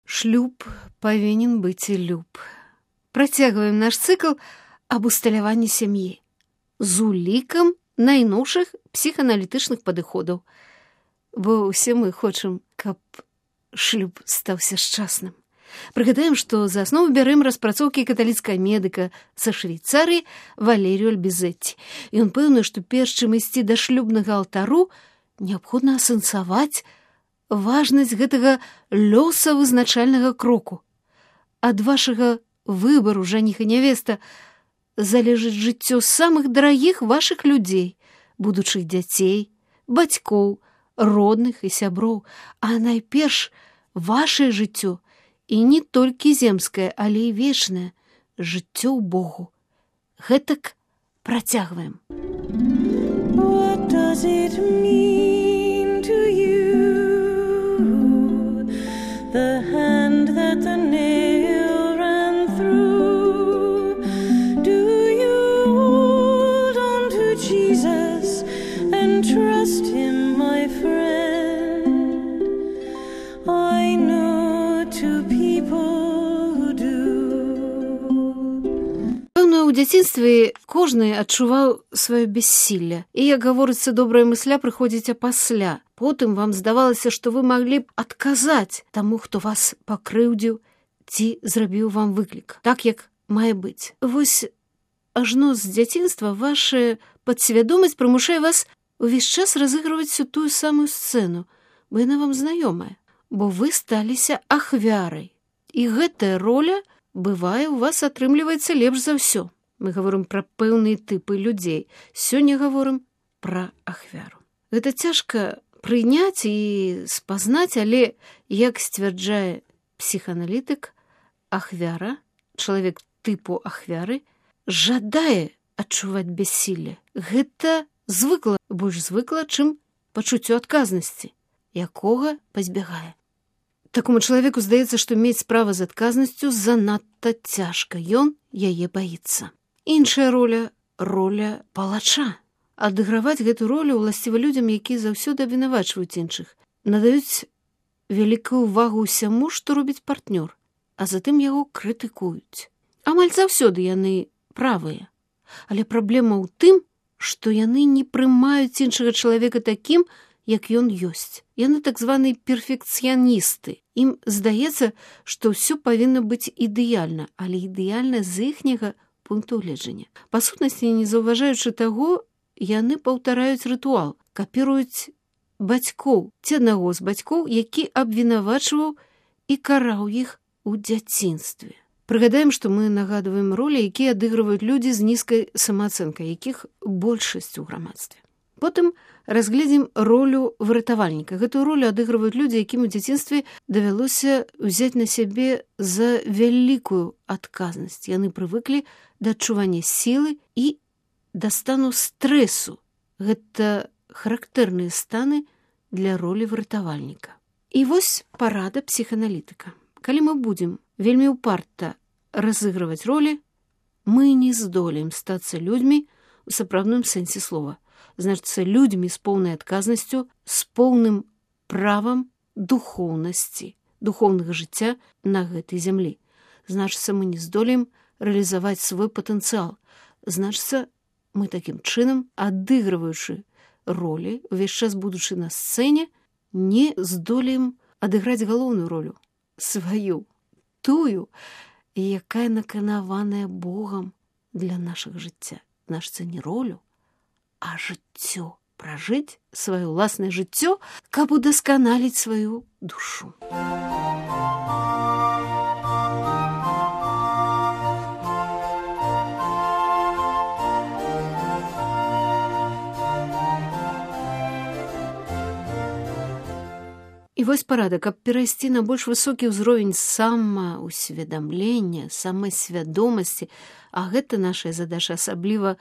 Шлюб павінен быць і люб. Працягваем наш цыкл аб усталяванні сям'і з улікам найноўшых псіхааналітычных падыходаў. Бо ўсе мы хочам, каб шлюб стаўся шчасным. Прыгадаем, што за аснову бярэм распрацоўкі каталіцкага медыка са Швейцарыі Валерію Альбізетці. Ён пэўны, што перш чым ісці да шлюбнага алтару, неабходна асэнсаваць важнасць гэтага лёсавызначальнага кроку. Ад вашага выбару жаніх і нявеста залежыць жыццё самых дарагіх вашых людзей, будучых дзяцей, бацькоў, родных і сяброў, а найперш вашае жыццё, і не толькі земскае, але і вечнае жыццё ў Богу. Гэтак працягваем. What does it mean to you? The hand that the nail ran through. Do you hold on to Jesus and trust him, my friend? I know two people who do. Пэўна, у дзяцінстве кожны адчуваў сваё бессілле. І, як гаворыцца, добрая мысля прыходзіць апасля. Потым вам здавалася, што вы маглі б адказаць таму, хто вас пакрыўдзіў ці зрабіў вам выклік, так як мае быць. Вось ажно з дзяцінства ваша падсвядомасць прымушае вас увесь час разыгрываць всю тую самую сцэну, бо яна вам знаёмая, бо вы сталіся ахвярай. І гэтая роля, бывае, у вас атрымліваецца лепш за ўсё. Мы гаворым пра пэўныя тыпы людзей. Сёння гаворым пра ахвяру. Гэта цяжка прыняць і спазнаць, але, як сцвярджае псіхааналітык, ахвяра, чалавек тыпу ахвяры, жадае адчуваць бяссілле. Гэта звыкла, больш звыкла, чым пачуццё адказнасці, якога пазбягае. Такому чалавеку здаецца, што мець справа з адказнасцю занадта цяжка, ён яе баіцца. Іншая роля – роля палача. Адыграваць гэту ролю ўласціва людзям, якія заўсёды абвінавачваюць іншых, надаюць вялікую ўвагу ўсяму, што робіць партнёр, а затым яго крытыкуюць. Амаль заўсёды яны правыя. Але праблема ў тым, што яны не прымаюць іншага чалавека такім, як ён ёсць. Яны так званыя перфекцыяністы. Ім здаецца, што ўсё павінна быць ідэальна, але ідэальна з іхняга пункту гледжання. Па сутнасці, не заўважаючы таго, яны паўтараюць рытуал, капіруюць бацькоў, ці аднаго з бацькоў, які абвінавачваў і караў іх у дзяцінстве. Прыгадаем, што мы нагадваем ролі, якія адыгрываюць людзі з нізкай самаацэнкай, якіх большасць у грамадстве. Потым разгледзім ролю выратавальніка. Гэтую ролю адыгрываюць людзі, якім у дзяцінстве давялося ўзяць на сябе за вялікую адказнасць. Яны прывыклі да адчування сілы і да стану стрэсу. Гэта характэрныя станы для ролі выратавальніка. І вось парада псіхааналітыка. Калі мы будзем вельмі ўпарта разыгрываць ролі, мы не здолеем стацца людзьмі у сапраўдным сэнсе слова. Значыцца, людзьмі з поўнай адказнасцю, з поўным правам духоўнасці, духоўнага жыцця на гэтай зямлі. Значыцца, мы не здолеем рэалізаваць свой патэнцыял. Значыцца, мы такім чынам, адыгрываючы ролі, увесь час будучы на сцэне, не здолеем адыграць галоўную ролю, сваю, тую, якая наканаваная Богам для нашага жыцця. Значыцца, не ролю, а жыццё. Пражыць сваё ўласнае жыццё, каб удасканаліць сваю душу. І вось парада, каб перайсці на больш высокі ўзровень самаўсведамлення, самасвядомасці, а гэта нашая задача, асабліва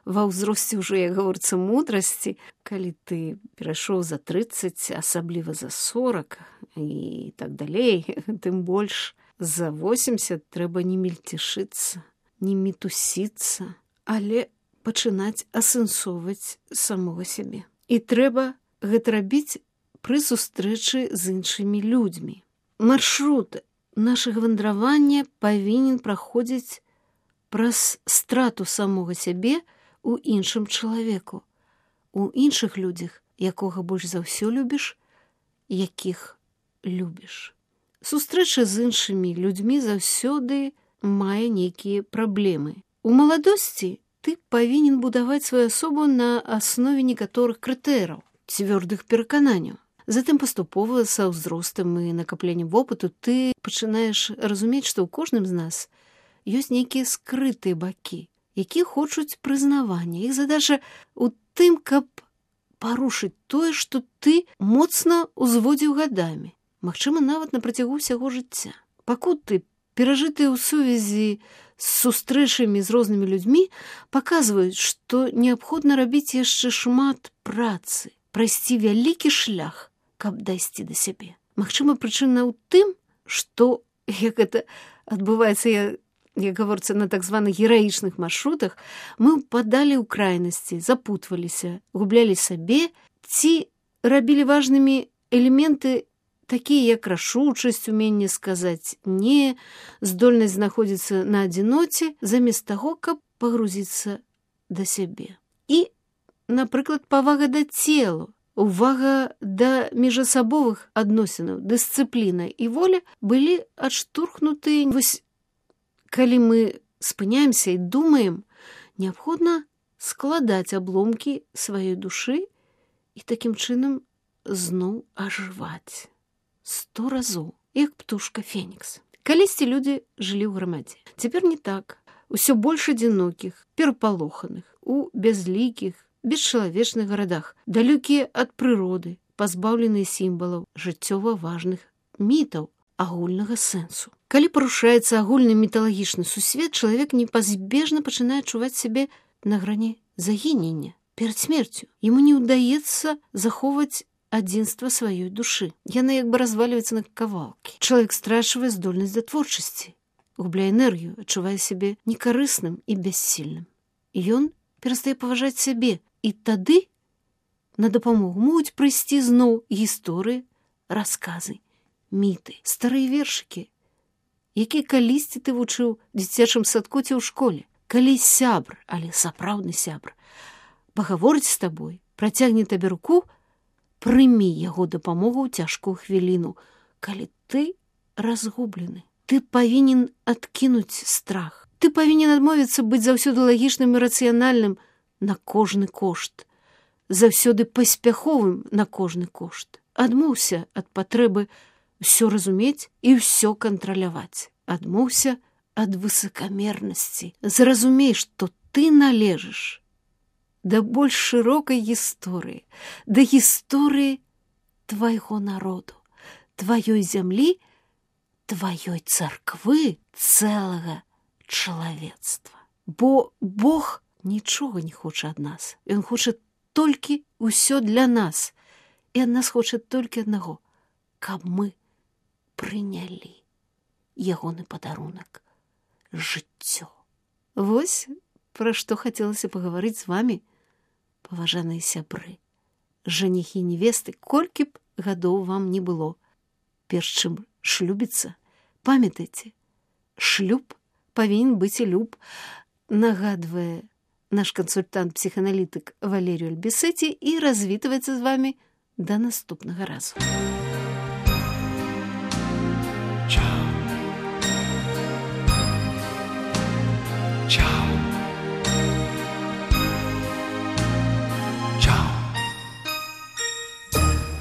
ва ўзросце ўжо, як гаворыцца, мудрасці, калі ты перайшоў за 30, асабліва за 40 і так далей, тым больш за 80 трэба не мельцешыцца, не мітусіцца, але пачынаць асэнсоўваць самога сябе. І трэба гэта рабіць пры сустрэчы з іншымі людзьмі. Маршрут нашага вандравання павінен праходзіць праз страту самога сябе у іншым чалавеку, у іншых людзях, якога больш за ўсё любіш, якіх любіш. Сустрэча з іншымі людзьмі заўсёды мае нейкія праблемы. У маладосці ты павінен будаваць сваю асобу на аснове некаторых крытэраў, цвёрдых перакананняў. Затым паступова са ўзростам і накапленнем вопыту ты пачынаеш разумець, што ў кожным з нас ёсць нейкія скрытыя бакі, якія хочуць прызнавання. Іх задача ў тым, каб парушыць тое, што ты моцна ўзводзіў гадамі, магчыма, нават на працягу ўсяго жыцця. Пакуты, перажытыя ў сувязі з сустрэчамі з рознымі людзьмі, паказваюць, што неабходна рабіць яшчэ шмат працы, прайсці вялікі шлях, каб дайсці да сябе. Магчыма, прычына ў тым, што, як гэта адбываецца, як гаворыцца, на так званых гераічных маршрутах, мы ўпадалі ў крайнасці, запутваліся, гублялі сабе ці рабілі важнымі элементы, такія як рашучасць, уменне сказаць «не», здольнасць знаходзіцца на адзіноце, замест таго, каб пагрузіцца да сябе. І, напрыклад, павага да целу, увага да міжасабовых адносінаў, дысцыпліна і воля былі адштурхнутыя. Вось, калі мы спыняемся і думаем, неабходна складаць абломкі сваёй душы і такім чынам зноў ажываць. 100 разоў, як птушка Фенікс. Калісьці людзі жылі ў грамадзе. Цяпер не так. Усё больш адзінокіх, перапалоханых, у бязлікіх, бесчалавечных гарадах, далёкія ад прыроды, пазбаўленыя сімвалаў, жыццёва важных мітаў, агульнага сэнсу. Калі парушаецца агульны міталагічны сусвет, чалавек непазбежна пачынае адчуваць сябе на грані загінення, перад смерцю. Яму не ўдаецца захоўваць адзінства сваёй душы. Яна як бы развальваецца на кавалкі. Чалавек страчвае здольнасць да творчасці, губляе энергію, адчувае сябе некарысным і бяссільным. Ён перастае паважаць сябе, і тады на дапамогу могуць прыйсці зноў гісторыі, расказы, міты, старыя вершыкі, якія калісьці ты вучыў у дзіцячым садку ці ў школе. Калі сябр, але сапраўдны сябр, пагаворыць з табой, працягне табе руку, прымі яго дапамогу ў цяжкую хвіліну. Калі ты разгублены, ты павінен адкінуць страх. Ты павінен адмовіцца быць заўсёды лагічным і рацыянальным на кожны кошт, заўсёды паспяховым на кожны кошт. Адмоўся ад патрэбы ўсё разумець і ўсё кантраляваць. Адмоўся ад высакамернасці. Зразумей, што ты належыш да больш шырокай гісторыі, да гісторыі твайго народу, тваёй зямлі, тваёй царквы, цэлага чалавецтва. Бо Бог нічога не хоча ад нас. Ён хоча толькі ўсё для нас. І ад нас хоча толькі аднаго, каб мы прынялі ягоны падарунак — жыццё. Вось пра што хацелася пагаварыць з вамі, паважаныя сябры, жаніхі і невесты, колькі б гадоў вам не было. Перш чым шлюбіцца, памятайце, шлюб павінен быць і люб, нагадвае наш кансультант-псіханалітык Валерію Альбісеці і развітваецца з вамі да наступнага разу.